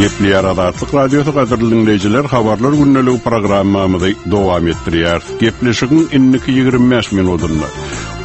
Gepleýär Azatlyk Radiosy gadyrly diňleýjiler habarlar gündeligi programmamyzy dowam etdirýäris. Gepleşigiň indiki 25 minutynda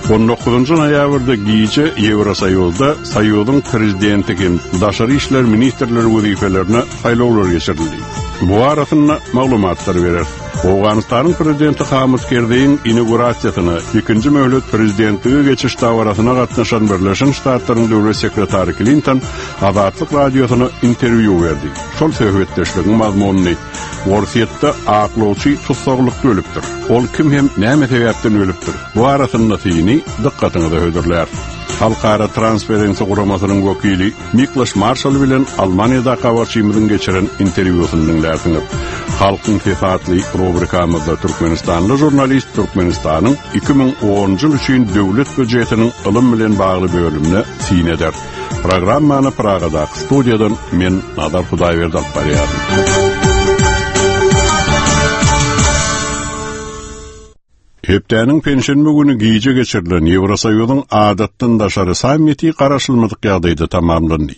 19 noýabrda gije Ýewrosoýuzda Soýuzyň prezidenti hem daşary işler ministrleri wezipelerine saýlawlar geçirildi. Bu barasynda maglumatlar bereris. Owganystanyň prezidenti Hamid Kerzeýiň inaugurasiýasyna, ikinji möhlet prezidentlige geçiş dabarasyna gatnaşan Birleşen Ştatlaryň döwlet sekretary Klinton Azatlyk Radiosyna interwýu berdi. Şol söhbetdeşligiň mazmunyny Orsýetde aklawçy tussaglykda ölüpdir. Ol kim hem näme sebäpden ölüpdir? Bu arasynda syny dykgatyňyza hödürläris. Halkara Transparency guramasynyň wekili Mikloş Marşal bilen Almaniýadaky habarçymyzyň geçiren interwýusyny diňlärsiňiz. Halkyň sesi atly rubrikamyzda türkmenistanly žurnalist Türkmenistanyň 2010-njy ýyl üçin döwlet býujetiniň ylym bilen bagly bölümine syn eder. Programmany Pragadaky studiýadan men Nazar Hudaýberdi alyp barýaryn. Hepdäniň penşenbe güni gije geçirilen Ýewrosoýuzyň adatdan daşary sammiti garaşylmadyk ýagdaýda tamamlandy.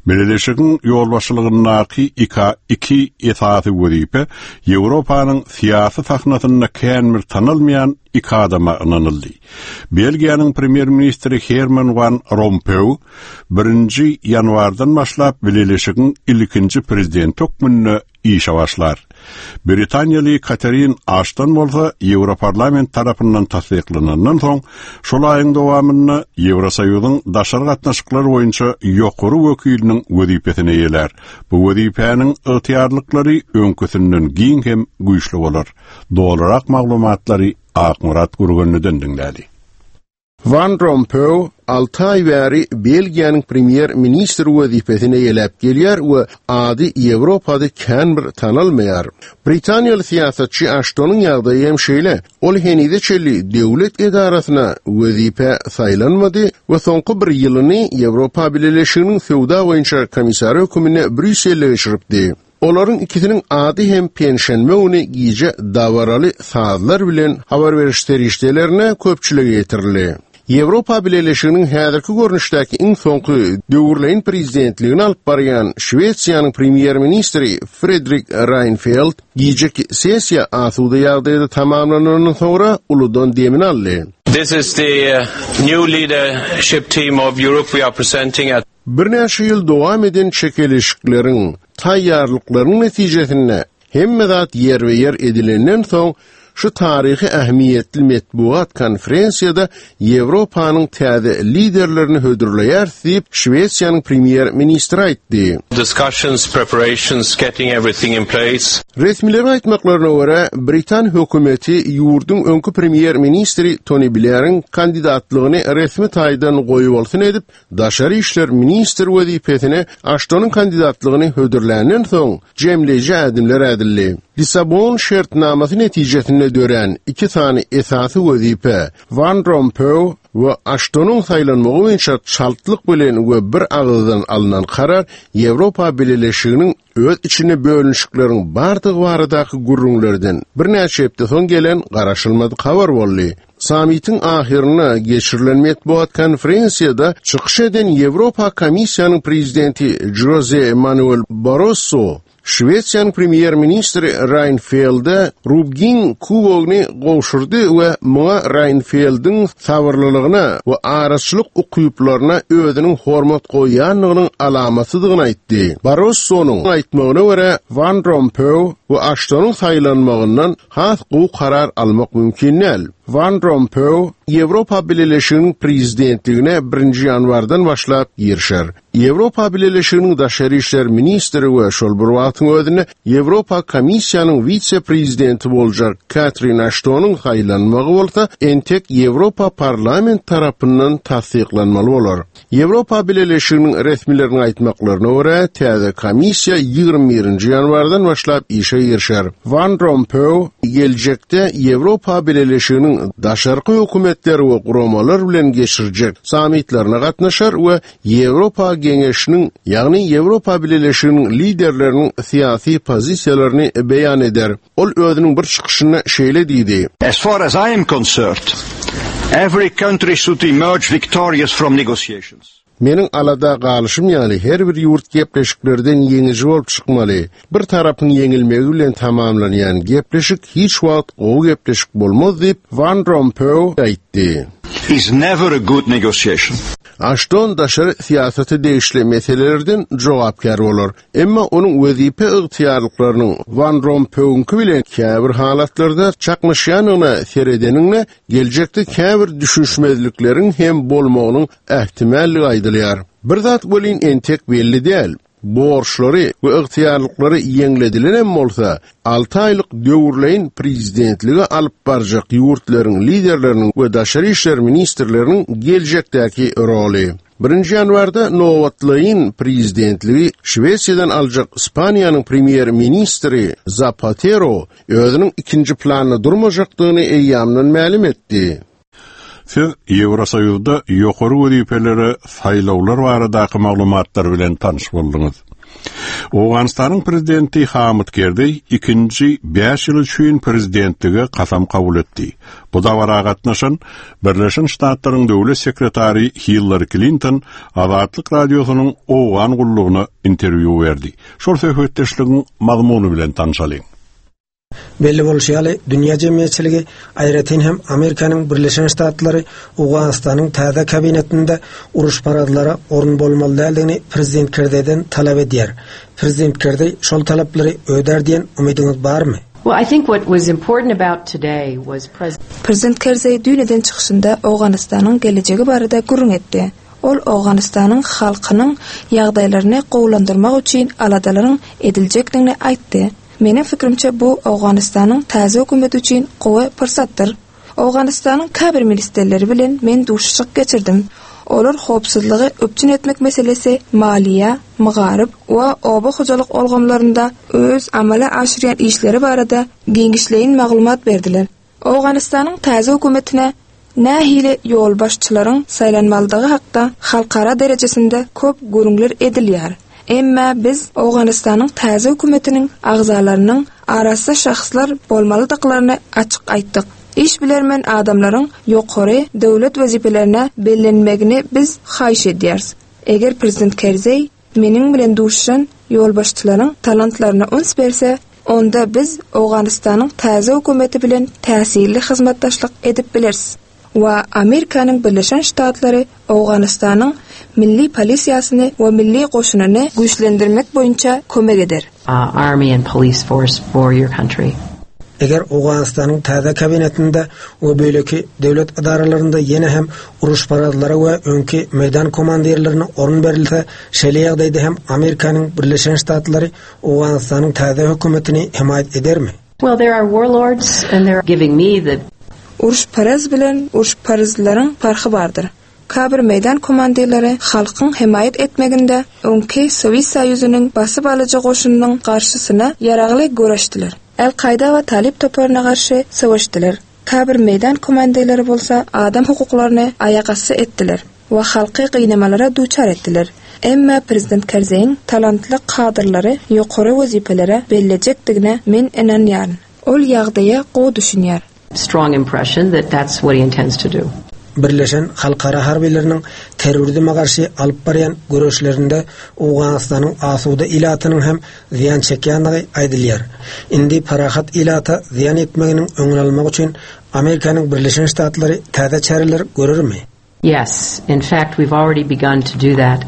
Bileleşigiň ýolbaşçylygyndaky ika iki esasy wezipe Ýewropanyň syýasy sahnasynda kän bir tanalmaýan iki adama ynanyldy. Belgiýanyň premýer-ministri Herman Wan Rompeý birinji ýanwardan başlap Bileleşigiň ilkinji prezidenti hökmünde işe başlar. Britaniýaly Katerin Aşton bolsa Ýewroparlament tarapyndan tassyklanandan soň, şol aýyň dowamynda Ýewrosoýuzyň daşary gatnaşyklar boýunça ýokary wekiliniň wezipesini eýelär. Bu wezipäniň ygtyýarlyklary öňküsinden giň hem güýçli bolar. Dolurak maglumatlary Akmyrat Gürgenliden diňläli. Wan Rompeý alty aý bäri Belgiýanyň premýer-ministri wezipesini eýeläp gelýär we ady Ýewropada kän bir tanalmaýar. Britaniýaly syýasatçy Aştonyň ýagdaýy hem şeýle, ol henize çenli döwlet edarasyna wezipä saýlanmady we soňky bir ýylyny Ýewropa Bileleşiginiň söwda boýunça komissary höküminde Brýusselde geçiripdi. Olaryň ikisiniň ady hem penşenbe güni gije dabaraly sazlar bilen habar beriş serişdelerine köpçülige ýetirildi. Ýewropa Bileleşiginiň häzirki görnüşdäki iň soňky döwürleýin prezidentligini alyp barýan Şwesiýanyň premýer-ministri Fredrik Raýnfeld gijeki sessiýa asuda ýagdaýda tamamlanandan soňra uludan demini aldy. This is the new leadership team of Europe we are presenting at. Birnäçe ýyl dowam eden çekeleşikleriň, taýýarlyklaryň netijesinde hemme zat ýerbe-ýer edilenden soň, şu taryhy ähmiýetli metbugat konferensiýada Ýewropanyň täze liderlerini hödürleýäris diýip, Şwesiýanyň premýer-ministri aýtdy. Discussions, preparations, getting everything in place. Resmileriň aýtmaklaryna görä, britan hökümeti ýurduň öňki premýer-ministri Toni Bleriň kandidatlygyny resmi taýdan goýbolsun edip, Daşary işler ministri wezipesine Aştonyň kandidatlygyny hödürländen soň, jemleýji ädimler ädildi. Lissabon şertnamasy netijesinde dörän iki sany esasy wezipe, Wan Rompeý we Aştonyň saýlanmagy boýunça çaltlyk bilen we bir agyzdan alnan karar Ýewropa Bileleşiginiň öz içinde bölünişikleriň bardygy baradaky gürrüňlerden birnäçe hepde soň gelen garaşylmadyk habar boldy. Sammitiň ahyrynda geçirilen metbugat konferensiýada çykyş eden Ýewropa Komissiýanyň prezidenti Žoze Manuel Barroso Şwesiýanyň premýer-ministri Raýnfelde Rubgin kubogyny gowşurdy we muňa Raýnfeldiň sabyrlylygyna we araçylyk ukyplaryna özüniň hormat goýýandygynyň alamatydygyny aýtdy. Barrossonyň aýtmagyna görä, Wan Rompeý we Aştonyň saýlanmagyndan Has gowy karar almak mümkin däl. Wan Rompeý Ýewropa Bileleşiginiň prezidentligine birinji ýanwardan başlap girişer. Ýewropa Bileleşiginiň daşary işler ministri we şol bir wagtyň özünde Ýewropa Komissiýanyň wise-prezidenti boljak Katrin Aştonyň saýlanmagy bolsa entek Ýewropa Parlament tarapyndan tassyklanmaly bolar. Ýewropa Bileleşiginiň resmileriniň aýtmaklaryna görä, täze komissiýa 21-nji ýanwardan başlap işe girişer. Wan Rompeý geljekde Ýewropa Bileleşiginiň daşarky hökümetler we guramalar bilen geçirjek sammitlerine gatnaşar we Ýewropa Geňeşiniň, ýagny Ýewropa Bileleşiginiň liderleriniň syýasy pozisiýalaryny beýan eder. Ol özüniň bir çykyşynda şeýle diýdi. As far as I am concerned, every country should emerge victorious from negotiations. Meniň alada galyşym ýaly her bir ýurt gepleşiklerden ýeňiji bolup çykmaly. Bir tarapyň ýeňilmegi bilen tamamlanýan gepleşik hiç wagt gowy gepleşik bolmaz diýip, Wan Rompeý aýtdy. Is never a good negotiation. Aşton daşary syýasata degişli meselelerden jogapkär bolar. Emma onuň wezipe ygtyýarlyklarynyň Wan Rompeýiňki bilen käbir halatlarda çaknyşýandygyna seredeniňde, geljekde käbir düşünişmezlikleriň hem bolmagynyň ähtimallygy aýdylýar. Bir zat welin entek belli däl, borçlary we ygtyýarlyklary ýeňledilenem bolsa, alty aýlyk döwürleýin prezidentligi alyp barjak ýurtlaryň liderleriniň we daşary işler ministrleriniň geljekdäki roly. Birinji ýanwarda nobatlaýyn prezidentligi Şwesiýadan aljak Ispaniýanyň premýer-ministri Zapatero özüniň ikinji planda durmajakdygyny eýýamdan mälim etdi. Siz Ýewrosoýuzda ýokary wezipelere saýlawlar baradaky maglumatlar bilen tanyş bolduňyz. Owganystanyň prezidenti Hamyt Kerzeý ikinji bäş ýyl üçin prezidentlige kasam kabul etdi. Bu dabara gatnaşan Birleşen Ştatlaryň döwlet sekretary Hillari Klinton Azatlyk Radiosynyň Owgan gullugyna interwýu berdi. Şol söhbetdeşligiň mazmuny bilen tanşalyň. Belli bolşy ýaly, dünýä jemgyýetçiligi, aýratyn hem Amerikanyň Birleşen Ştatlary Owganystanyň täze kabinetinde uruşparazlara orun bolmaly däldigini prezident Kerzeýden talap edýär. Prezident Kerzeý şol talaplary ödär diýen umydyňyz barmy? Prezident Kerzeý düýn eden çykyşynda Owganystanyň gelejegi barada gürrüň etdi. Ol Owganystanyň halkynyň ýagdaýlaryny gowulandyrmak üçin aladalaryň ediljekdigini aýtdy. Meniň pikirimçe, bu Owganystanyň täze hökümeti üçin gowy pursatdyr. Owganystanyň käbir ministrleri bilen men duşuşyk geçirdim. Olar howpsuzlygy üpjün etmek meselesi, maliýe, magaryf we oba hojalyk ulgamlarynda öz amala aşyrýan işleri barada giňişleýin maglumat berdiler. Owganystanyň täze hökümetine nähili ýolbaşçylaryň saýlanmalydygy hakda halkara derejesinde köp gürrüňler edilýär. Emma biz Owganystanyň täze hökümetiniň agzalarynyň arassa şahslar bolmalydyklaryny açyk aýtdyk. Işbilermen adamlaryň ýokary döwlet wezipelerine bellenmegini biz haýyş edýäris. Eger prezident Kerzeý Meniň bilen duşuşan ýolbaşçylaryň talantlaryna üns berse, onda biz Owganystanyň täze hökümeti bilen täsirli hyzmatdaşlyk edip bileris we Amerikanyň Birleşen Ştatlary Owganystanyň milli polisiýasyny we milli goşunyny güýçlendirmek boýunça kömek eder. army and police force for your country. Eger Owganystanyň täze kabinetinde we beýleki döwlet edaralarynda ýene hem uruşparazlara we öňki meýdan komandirlerine orun berilse, şeýle ýagdaýda hem Amerikanyň Birleşen Ştatlary Owganystanyň täze hökümetini hemaýat edermi? Well, there are warlords and there are giving me the. Uruşparaz bilen uruşparazlaryň parhy bardyr. Käbir meýdan komandirleri halkyň hemaýat etmeginde öňki Sowet Soýuzynyň basyp alyjy goşunynyň garşysyna ýaragly göreşdiler. Al-Kaýda we Talyp toparyna garşy söweşdiler. Käbir meýdan komandirleri bolsa adam hukuklaryny aýagasty etdiler we halky gynamalara duçar etdiler. Emma prezident Kerzeýiň talantly kadrlary ýokary wezipelere bellejekdigine men ynanýaryn. Ol ýagdaýa gowy düşünýär. strong impression that that's what he intends to do. Birleşen halkara harbylarynyň terrorizme garşy alyp barýan göreşlerinde Owganystanyň asuda ilatynyň hem zyýan çekýändigi aýdylýar. Indi parahat ilata zyýan ýetmeginiň öňüni almak üçin Amerikanyň Birleşen Ştatlary täze çäreler görermi? Yes, in fact we've already begun to do that.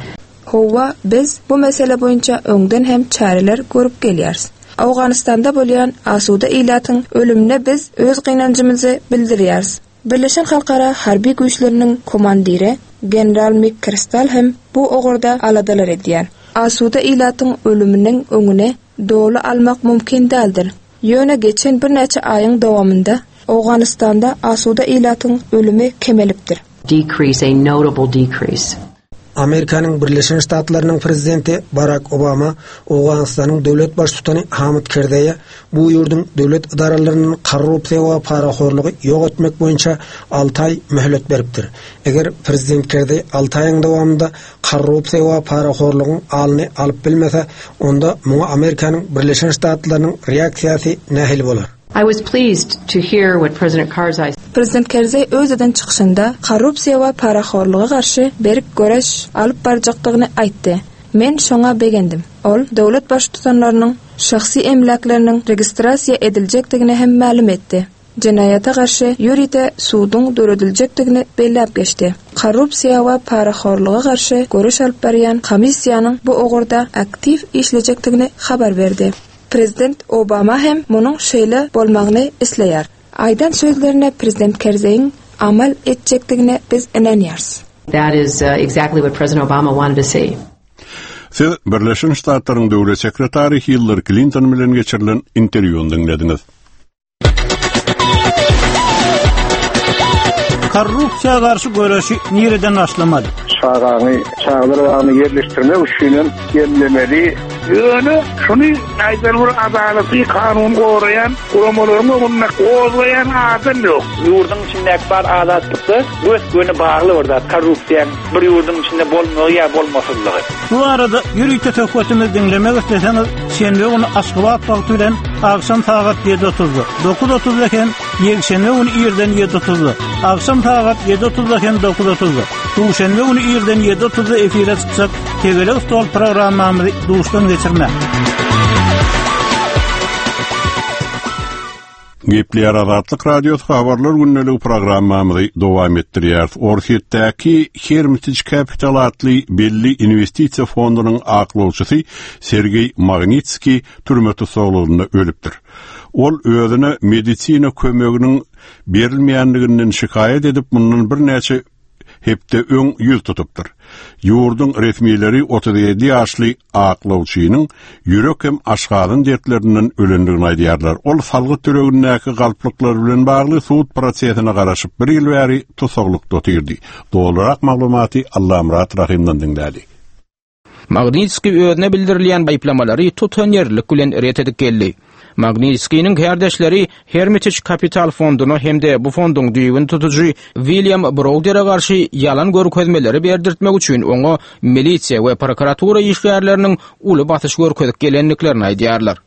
Howwa, biz bu mesele boýunça öňden hem çäreler görüp gelýäris. Owganystanda bolýan asuda ilatyň ölümine biz öz gynanjymyzy bildirýäris. Birleşen Halkara harby güýçleriniň komandiri general Mik Kristal hem bu ugurda aladalar edýär. Asuda ilatyň ölüminiň öňüni doly almak mümkin däldir. Ýöne geçen birnäçe aýyň dowamynda Owganystanda asuda ilatyň ölümi kemelipdir. Decrease, a notable decrease. Amerikanyň Birleşen Ştatlarynyň prezidenti Barak Obama Owganystanyň döwlet baştutany Hamid Kerzeýe bu ýurduň döwlet edaralaryndan korrupsiýa we parahorlugy ýok etmek boýunça alty aý möhlet beripdir. Eger prezident Kerzeý alty aýyň dowamynda korrupsiýa we parahorlugyň alyny alyp bilmese, onda muňa Amerikanyň Birleşen Ştatlarynyň reaksiýasy nähili bolar? I was pleased to hear what President Karzai. Prezident Kerzeý öz eden çykyşynda korrupsiýa we parahorluga garşy berk göreş alyp barjakdygyny aýtdy. Men şoňa begendim. Ol döwlet baştutanlarynyň şahsy emläkleriniň registrasiýa ediljekdigini hem mälim etdi. Jenaýata garşy ýörite suduň dörediljekdigini belläp geçdi. Korrupsiýa we parahorluga garşy göreş alyp barýan komissiýanyň bu ugurda aktiw işlejekdigini habar berdi. Prezident Obama hem munuň şeýle bolmagyny isleýär. Aýdan sözlerine Prezident Kerzeýiň amal etjekdigine biz ynanýarys. That is exactly what President Obama wanted to see. Siz Birleşen Ştatlaryň Döwlet sekretary Hillari Klinton bilen geçirilen interwýuny diňlediňiz. Korrupsiýa garşy göreşi nireden başlamaly? Çagaňy çagalar bagyna ýerleşdirmek üçinem bellemeli. Ýöne şuny aýdan bir adalaty, kanuny goraýan guramalaryň öňünde gozgaýan adam ýok. Ýurduň içindäki bar azatlykda gös-göni bagly bir zat korrupsiýaň bir ýurduň içinde bolmagy ýa bolmasyzlygy. Bu barada ýörite söhbetimizi diňlemek isleseňiz, şenbe güni Aşgabat wagty bilen agşam sagat 7:30-da, 9:30-da hem ýekşenbe güni irden 7:30-da, agşam sagat 7:30-da hem 9:30-da, duşenbe güni irden 7:30-da efire çykjak Tegelek stol programmamyzy duşdan geçirmäň. Gepleýär Azatlyk Radiosy Habarlar gündeligi programmamyzy dowam etdirýäris. Orsýetdäki Hermitage Capital atly belli inwestisiýa fondunyň aklawçysy Sergeý Magnitskiý türme tussaglygynda ölüpdir. Ol özüne medisina kömeginiň berilmeýänliginden şikaýat edip, mundan birnäçe hepde öň ýüz tutupdyr. Ýurduň resmileri 37 ýaşly aklawçynyň ýürek hem aşgazan dertlerinden ölendigini aýdýarlar. Ol salgyt tölegindäki galplyklar bilen bagly sud prosesine garaşyp bir ýyl bäri tussaglykda otyrdy. Dolurak maglumaty Allamyrat Rahymdan diňläli. Magnitskiý özüne bildirilýän aýyplamalary tutanýerlilik bilen ret edip geldi. Magnitskiniň kärdeşleri Hermitage Capital fonduna hem-de bu fonduň düýbüni tutujy William Browdere garşy ýalan görkezmeleri berdirtmek üçin oňa milisiýa we prokuratura işgärleriniň uly basyş görkezip gelendiklerini aýdýarlar.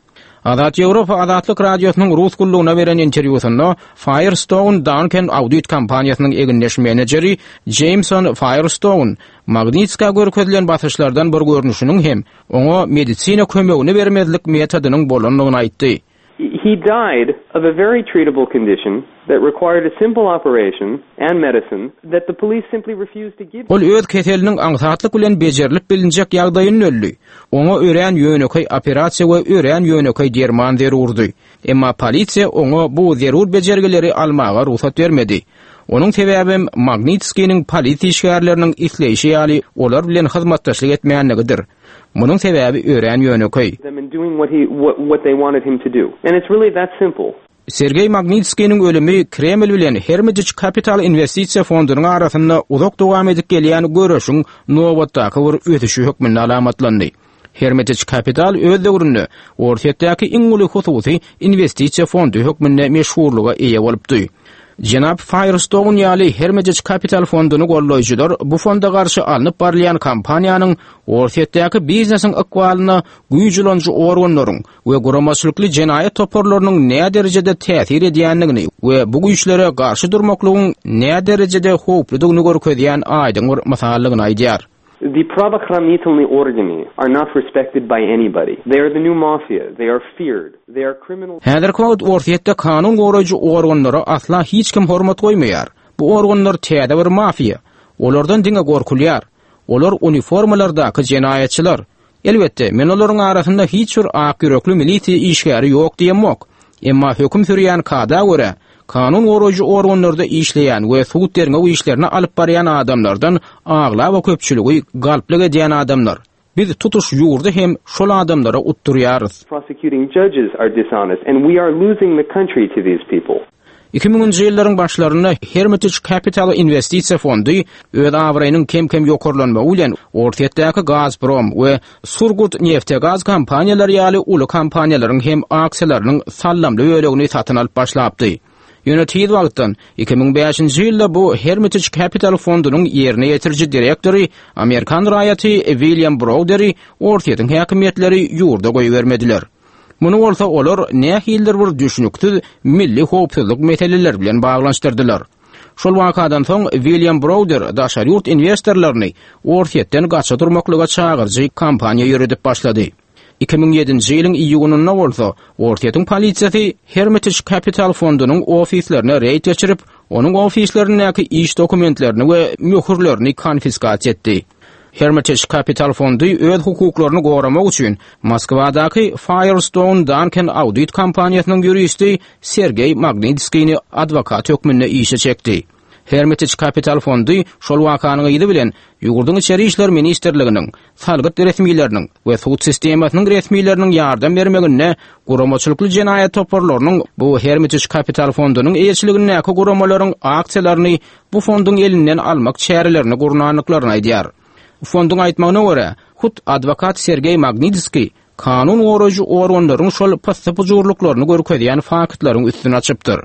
Azat Ýewropa Azatlyk Radiosynyň Rus gullugyna beren interwýusynda Firestone Duncan audit kompaniýasynyň egindeş menejeri Jeýmson Firestone Magnitska görkezilen basyşlardan bir görnüşiniň hem oňa medisina kömegini bermezlik metodynyň bolandygyny aýtdy. He died of a very treatable condition that required a simple operation and medicine that the police simply refused to give Ol öz keseliniň aňsatlyk bilen bejerilip bilinjek ýagdaýynda öldi. Oňa örän ýönekeý operasiýa we örän ýönekeý derman zerurdy. Emma polisiýa oňa bu zerur bejergileri almaga rugsat bermedi. Onuň sebäbem Magnitskiniň polisiýa işgärleriniň isleýşi ýaly olar bilen hyzmatdaşlyk etmänligidir. Munuň sebäbi örän ýönekeý. Sergeý Magnitskiniň ölümi Kreml bilen Hermitage Capital inwestisiýa fondunyň arasynda uzak dowam edip gelýän göreşiň nobatdaky bir ösüşi hökmünde alamatlandy. Hermitage Capital öz döwründe Orsýetdäki iň uly hususy inwestisiýa fondy hökmünde meşhurlyga eýe bolupdy. Jenap Firestone ýaly Hermitage Capital fonduny goldaýjylar bu fonda garşy alnyp barylýan kampaniýanyň Orsýetdäki biznesiň ykbalyna güýç ulanyjy organlaryň we guramaçylykly jenaýat toparlarynyň näderejede täsir edýändigini we bu güýçlere garşy durmaklygyň näderejede howpludygyny görkezýän aýdyň bir mysaldygyny aýdýar. The pravookhranitelny organy are not respected by anybody. They are the new mafia. They are feared. They are criminal. Häzirki wagt Orsýetde kanun goraýjy organlara asla hiç kim hormat goýmaýar. Bu organlar täze bir mafiýa. Olardan diňe gorkulýar. Olar uniformalardaky jenaýatçylar. Elbetde, men olaryň arasynda hiç bir ak ýürekli milisiýa işgäri ýok diýemok. Emma höküm sürýän kada görä, kanun goraýjy organlarda işleýän we sud-derňew işlerini alyp barýan adamlardan aglaba köpçüligi galplyk edýän adamlar. Biz tutuş ýurdy hem şol adamlara utdurýarys. Prosecuting judges are dishonest and we are losing the country to these people. Iki müňünji ýyllaryň başlarynda Hermitage Capital inwestisiýa fondy öz abraýynyň kem-kem ýokarlanmagy bilen Orsýetdäki Gazprom we Surgutneftegaz kompaniýalary ýaly uly kompaniýalaryň hem aksiýalarynyň sallamly bölegini satyn alyp başlapdy. Ýöne tiz wagtdan, 2005-nji ýylda bu Hermitage Capital fondunyň ýerine ýetiriji direktory, amerikan raýaty William Browderi Orsýetiň häkimiýetleri ýurda goýbermediler. Muny bolsa olar nähilidir bir düşnüksiz milli howpsuzlyk meseleleri bilen baglanyşdyrdylar. Şol wakadan soň William Browder daşary ýurt inwestorlaryny Orsýetden gaça durmaklyga çagyryjy kampaniýa ýöredip başlady. 2007-nji ýylyň iýunynda bolsa Orsýetiň polisiýasy Hermitage Capital fondunyň ofislerine reýd geçirip, onuň ofislerindäki iş dokumentlerini we möhürlerini konfiskasiýa etdi. Hermitage Capital fondy öz hukuklaryny goramak üçin Moskwadaky Firestone Duncan audit kompaniýasynyň ýuristi Sergeý Magnitskini adwokat hökmünde işe çekdi. Hermitage Capital fondy şol wakanyň yzy bilen ýurduň Içeri işler ministrliginiň, salgyt resmileriniň we sud sistemasynyň resmileriniň ýardam bermeginde guramaçylykly jenaýat toparlarynyň bu Hermitage Capital fondunyň eýeçiligindäki guramalaryň aksiýalaryny bu fonduň elinden almak çärelerini gurnandyklaryny aýdýar. Fonduň aýtmagyna görä, hut adwokat Sergeý Magnitskiý kanun goraýjy organlaryň şol pyssy-pyjurlyklaryny görkezýän faktlaryň üstüni açypdyr.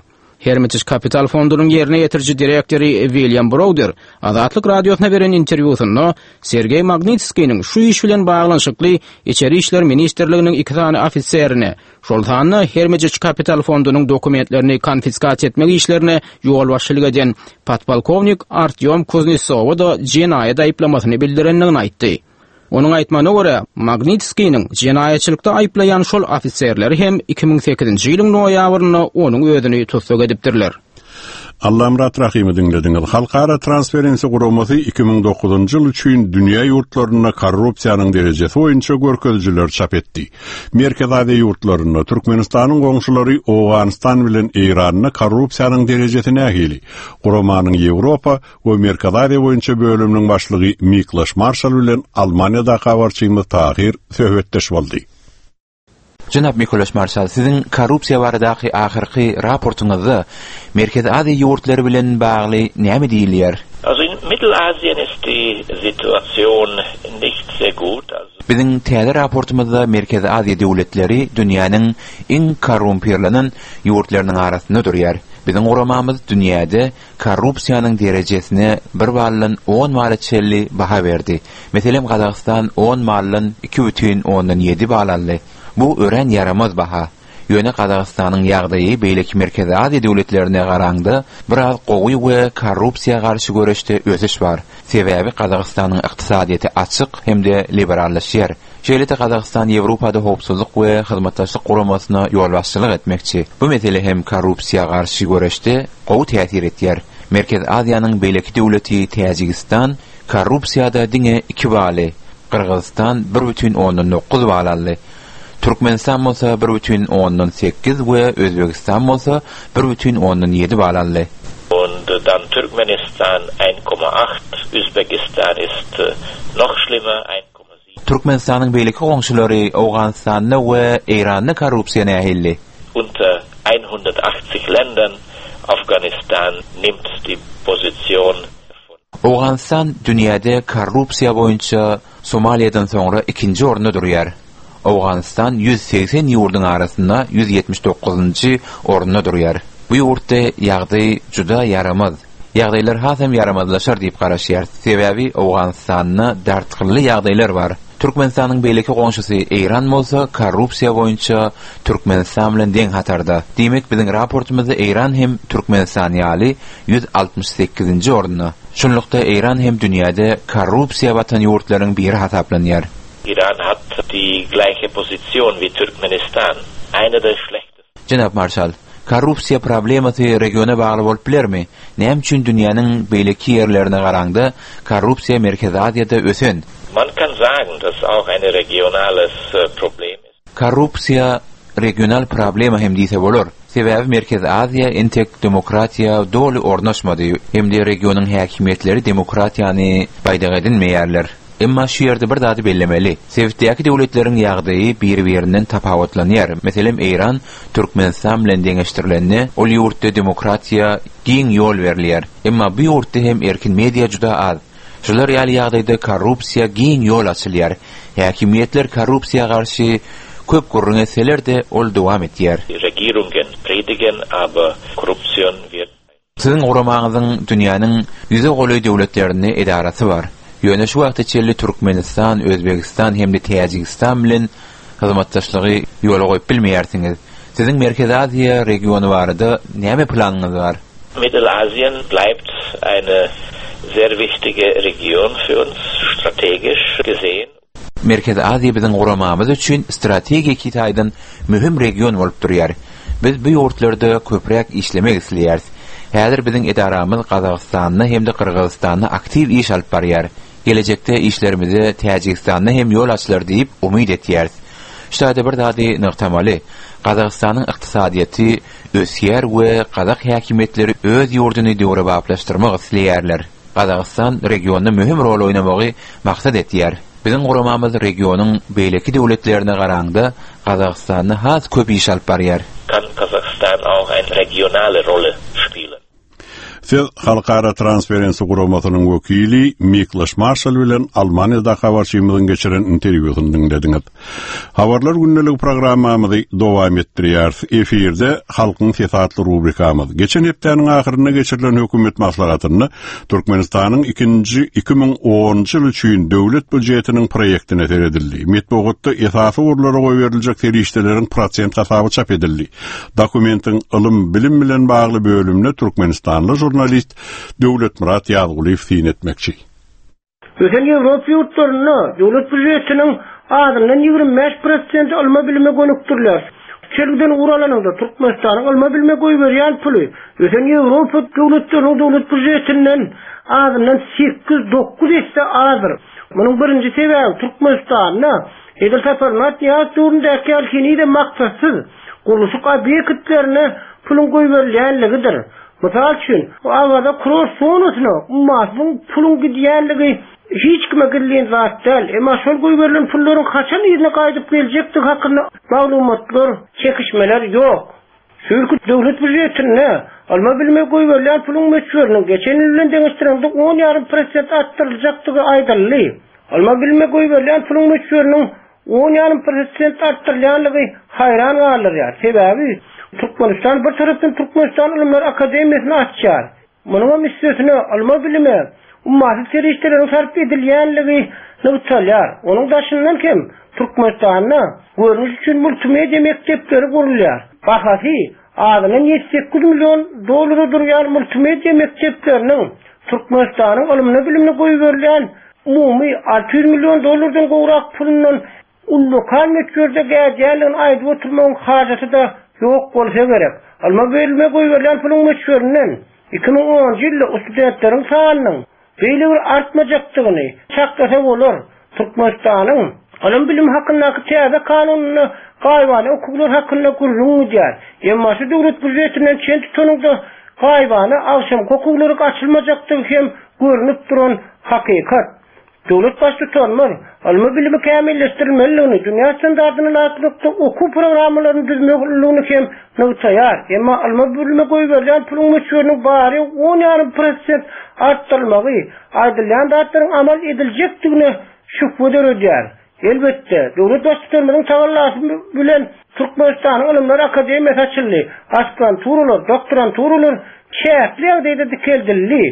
Hermitage Capital fondunyň ýerine ýetiriji direktory William Browder Azatlyk Radiosyna beren interwýusynda Sergeý Magnitskiniň şu iş bilen baglanyşykly Içeri işler ministrliginiň iki sany ofiserine, şol sanda Hermitage Capital fondunyň dokumentlerini konfiskasiýa etmek işlerine ýolbaşçylyk eden podpolkownik Artýom Kuznesowa-da jenaýat aýyplamasyny bildirendigini aýtdy. Onuň aýtmagyna görä, Magnitskiniň jenaýatçylykda aýyplaýan şol ofiserleri hem 2008-nji ýylyň noýabrynda onuň özüni tussag edipdirler. Allamyrat Rahymy diňlediňiz. Halkara Transparency guramasy 2009-njy ýyl üçin dünýä ýurtlarynda korrupsiýanyň derejesi boýunça görkezijileri çap etdi. Merkezi Aziýa ýurtlarynda, Türkmenistanyň goňşulary Owganystan bilen Eýranda korrupsiýanyň derejesi nähili? Guramanyň Ýewropa we Merkezi Aziýa boýunça bölüminiň başlygy Miklaş Marşal bilen Almaniýadaky habarçymyz Tahyr söhbetdeş boldy. Jenap Mikolaş Marşal, siziň korrupsiýa baradaky ahyrky raportyňyzda Merkezi Aziýa ýurtlary bilen bagly näme diýilýär? Also in Mittelasien ist die Situation nicht sehr gut. Also. Biziň täze raportymyzda Merkezi Aziýa döwletleri dünýäniň iň korrumpirlenen ýurtlarynyň arasynda durýar. Biziň guramamyz dünýäde korrupsiýanyň derejesine bir baldan on bala çenli baha berdi. Meselem, Gazagystan on baldan 2,7 bal aldy. Bu örän ýaramaz baha. Ýöne Gazagystanyň ýagdaýy beýleki Merkezi Aziýa döwletlerine garaňda biraz gowy we korrupsiýa garşy göreşde ösüş bar. Sebäbi Gazagystanyň ykdysadyýeti açyk hem-de liberallaşýar. Şeýle-de Gazagystan Ýewropada Howpsuzlyk we Hyzmatdaşlyk Guramasyna ýolbaşçylyk etmekçi. Bu mesele hem korrupsiýa garşy göreşde gowy täsir etýär. Merkezi Aziýanyň beýleki döwleti Täjigistan korrupsiýada diňe iki baly, Gyrgyzystan bir bütin ondan dokuz bal aldy. Türkmenistan bolsa bir bütin ondan sekiz we Özbegistan bolsa bir bütin ondan ýedi bal aldy. Und dann Türkmenistan 1,8, Usbekistan ist noch schlimmer, 1,7. Türkmenistanyň beýleki goňşulary Owganystanda we Eýranda korrupsiýa nähili? Unter 180 Ländern, Afghanistan nimmt die Position von. Owganystan dünýäde korrupsiýa boýunça Somaliýadan soňra ikinji orunda durýar. Owganystan 180 ýurduň arasynda 179-njy orunda durýar. Bu ýurtda ýagdaý juda ýaramaz. Ýagdaýlar hasam ýaramazlaşar diýip garaşýarys. Sebäbi Owganystanda dartgynly ýagdaýlar bar. Türkmenistanyň beýleki goňşusy Eýran bolsa korrupsiýa boýunça Türkmenistan bilen deň hatarda. Diýmek, biziň raportymyzda Eýran hem Türkmenistan ýaly 168-nji orunda. Şunlukda Eýran hem dünýäde korrupsiýa batan ýurtlaryň biri hasaplanýar. Iran hat die gleiche Position wie Türkmenistan, einer der schlechtesten. Jenap Marşal, korrupsiýa problemasy regiona bagly bolup bilermi? Näme üçin dünýäniň beýleki ýerlerine garaňda korrupsiýa Merkezi Aziýada ösen? Man kann sagen, dass auch eine regionales Problem ist. Korrupsiýa regional problema hem diýse bolar. Sebäbi Merkezi Aziýa entek demokratiýa doly ornaşmady hem-de regionyň häkimiýetleri demokratiýany baýdak edinmeýärler. Emma şu ýerde bir zady bellemeli. Sebitdäki döwletleriň ýagdaýy biri-birinden tapawutlanýar. Meselem, Eýran Türkmenistan bilen deňeşdirilende, ol ýurtda demokratiýa giň ýol berilýär. Emma bu ýurtda hem erkin media juda az. Şular ýaly ýagdaýda korrupsiýa giň ýol açylýar. Häkimiýetler korrupsiýa garşy köp gürrüň etseler-de, ol dowam etýär. Regierungen predigen, aber Korruption wird. Siziň guramaňyzyň dünýäniň ýüze golaý döwletlerinde edarasy bar. Ýöne şu wagta çenli Türkmenistan, Özbegistan hem-de Täjigistan bilen. hyzmatdaşlygy ýola goýup bilmeýärsiňiz. Siziň Merkezi Aziýa regiony barada näme planyňyz bar? Mittelasien bleibt eine sehr wichtige Region für uns, strategisch gesehen. Merkezi Aziýa biziň guramamyz üçin strategiki taýdan möhüm region bolup durýar. Biz bu ýurtlarda köpräk işlemek isleýäris. Häzir biziň edaramyz Gazagystanda hem-de Gyrgyzystanda aktiw iş alyp barýar. Gelejekde işlerimize Täjigistanda hem ýol açylar diýip umyt etýäris. Şu taýda bir zady nygtamaly, Gazagystanyň ykdysadyýeti ösýär we gazak häkimiýetleri öz ýurduny döwrebaplaşdyrmak isleýärler. Gazagystan regionda möhüm rol oýnamagy maksat etýär. Biziň guramamyz regionyň beýleki döwletlerine garaňda Gazagystanda has köp iş alyp barýar. Kann Kasachstan auch eine regionale Rolle spielen. Siz Halkara Transparency guramasynyň wekili Mikloş Marşal bilen Almaniýadaky habarçymyzyň geçiren interwýusyny diňlediňiz. Habarlar gündeligi programmamyzy dowam etdirýäris. Efirde Halkyň sesi atly rubrikamyz. Geçen hepdäniň ahyrynda geçirilen hökümet maslahatynda Türkmenistanyň ikinji 2010-njy ýyl üçin döwlet býujetiniň proýektine seredildi. Metbugatda esasy ugurlara goýberiljek serişdeleriň prosent hasaby çap edildi. Dokumentiň ylym, bilim bilen bagly bölümine türkmenistanly žurnalist Döwletmyrat Ýazgulyýew syn etmekçi. Ösen Ýewropa ýurtlarynda döwlet býujetiniň azyndan 25 prosenti ylma-bilime gönükdiriler. Çelgiden ugur alanyňda, Türkmenistanyň ylma-bilime goýberýän puly ösen Ýewropa döwletleriniň döwlet býujetinden azyndan sekiz-dokuz esse azdyr. Munuň birinji sebäbi Türkmenistanda edil Saparmyrat Nyýazow döwründäki ýaly henizem maksatsyz gurluşyk obýektlerine puluň goýberilýänligidir. Mysal üçin, bu Awaza kurort zonasyna ummasyz puluň gidýänligi hiç kime gizlin zat däl. Emma şol goýberilen pullaryň haçan yzyna gaýdyp geljekdigi hakynda maglumatlar, çekişmeler ýok. Şu ýylky döwlet býujetinde ylma-bilime goýberilýän puluň möçberiniň geçen ýyl bilen deňeşdireňde on ýarym prosent artdyryljakdygy aýdyldy. Ylma-bilime goýberilýän puluň möçberiniň on ýarym prosent artdyrylýanlygy haýran galdyrýar. Sebäbi Türkmenistan bir tarapdan Türkmenistan Ylymlar akademiýasyny açýar. Munuňam üstesine ylma-bilime ummasyz serişdeleriň sarp edilýänligi nygtalýar. Onuň daşyndan hem Türkmenistanda görnüş üçin multimedia mekdepleri gurulýar. Bahasy azyndan 7-8 million dollara durýan multimedia mekdepleriniň Türkmenistanyň ylmyna-bilimine goýberilýän umumy 600 million dollardan gowrak pulundan ullakan möçberde gädýändigini aýdyp oturmagyň hajaty-da ýok bolsa gerek. Ylma-bilime goýberilýän puluň möçberinden 2010-njy ýylda studentleriň sanynyň beýle bir artmajakdygyny çaklasa bolar. Türkmenistanyň Ylym-bilim hakyndaky täze kanunynda gaýybana okuwlar hakynda gürrüň gidýär. Emma şu döwlet býujetinden çen tutanyňda gaýybana agşamky okuwlaryň açylmajakdygy hem görnüp duran hakykat. Döwlet Baştutanymyz ylmy-bilimi kämilleşdirilmelidigini, dünýä standartyna laýyklykda okuw programmalaryny düzmelidigini hem nygtaýar. Emma ylma-bilime goýberilýän puluň möçberiniň bary on ýarym prosent artdyrylmagy aýdylýan zatlaryň amal ediljekdigine şübhe döredýär. Elbetde, döwlet Baştutanymyzyň tagallasy bilen Türkmenistanyň Ylymlar akademiýasy açyldy, aspiranturalar, doktoranturalar çäkli ýagdaýda dikeldildi.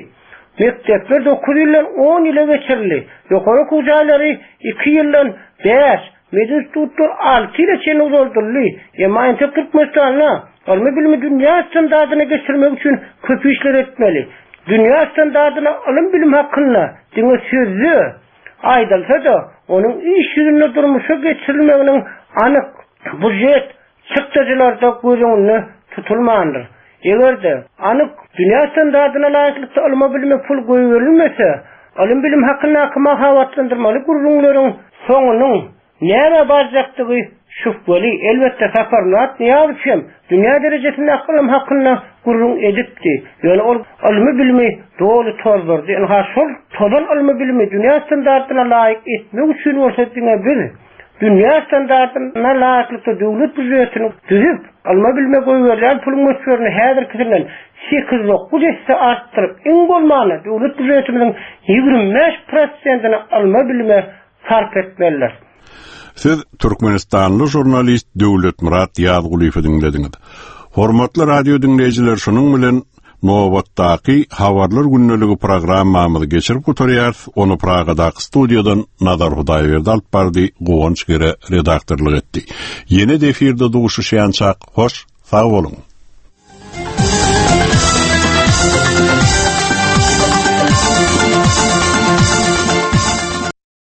Mekdepler dokuz ýyldan on ýyla geçirildi. Ýokary okuw jaýlary iki ýyldan bäş, medinstitutlar alty ýyla çenli uzaldyldy. Emma entek Türkmenistanda ylmy-bilimi dünýä standardyna geçirmek üçin köp işler etmeli. Dünýä standardyna ylym-bilim hakynda diňe sözde aýdylsa-da, onuň iş ýüzünde durmuşa geçirilmeginiň anyk býujet çykdajylarda göz öňünde tutulmandyr. Eger-de, anyk, dünýä standardyna laýyklykda ylma-bilime pul goýberilmese, ylym-bilim hakyndaky mahabatlandyrmaly gürrüňleriň soňunyň nämä barjakdygy şübheli. Elbetde, Saparmyrat Nyýazow hem dünýä derejesindäki ylym hakynda gürrüň edipdi. Ýöne ol ylmy-bilimi doly tozdurdy. Ynha, şol tozan ylmy-bilimi dünýä standardyna laýyk etmek üçin bolsa diňe biz, Dünýä standartyna laýyklykda döwlet býujetini düzüp, ylma-bilime goýberilýän puluň möçberini häzirkisinden sekiz-dokuz esse artdyryp, iň bolmanda döwlet býujetimiziň 25 prosentini ylma-bilime sarp etmelidir. Siz türkmenistanly žurnalist Döwletmyrat Ýazgulyýewi diňlediňiz. Hormatly radio diňleýjiler şunuň bilen. Nobatdaky Habarlar gündeligi programmamyzy geçirip gutarýarys. Ony Pragadaky studiýadan Nazar Hudaýberdi alyp bardy, Guwanç Gere redaktorlyk etdi. Ýene-de efirde duşuşýançak, hoş, sag boluň!